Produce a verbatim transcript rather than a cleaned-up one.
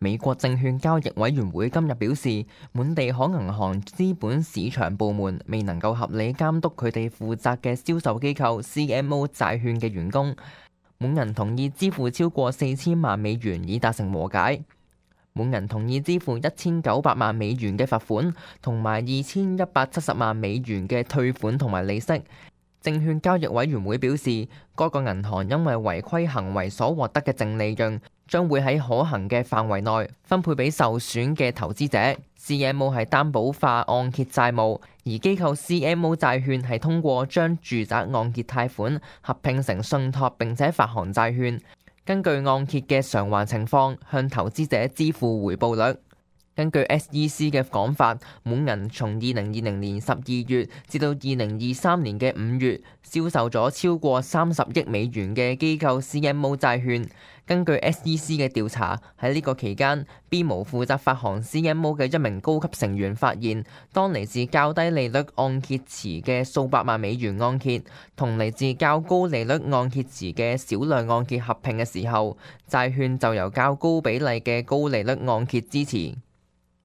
美國證券交易委員會今日表示，滿地可銀行資本市場部門未能夠合理監督佢哋負責嘅銷售機構 C M O 債券嘅員工。滿銀同意支付超過四千萬美元以達成和解。滿銀同意支付一千九百萬美元嘅罰款，同埋二千一百七十萬美元嘅退款同埋利息。證券交易委員會表示，該個銀行因為違規行為所獲得嘅淨利潤，將會喺可行嘅範圍內分配俾受損嘅投資者。C M O 係擔保化按揭債務，而機構 C M O 債券係通過將住宅按揭貸款合併成信託，並且發行債券，根據按揭嘅償還情況向投資者支付回報率。根據 S E C 嘅講法，滿銀從二零二零年十二月至到二零二三年嘅五月，銷售咗超過三十億美元嘅機構 C M O 債券。根據 S E C 嘅調查，喺呢個期間 ，B 模負責發行 C M O 嘅一名高級成員發現，當嚟自較低利率按揭池嘅數百萬美元按揭，同嚟自較高利率按揭池嘅少量按揭合併嘅時候，債券就由較高比例嘅高利率按揭支持。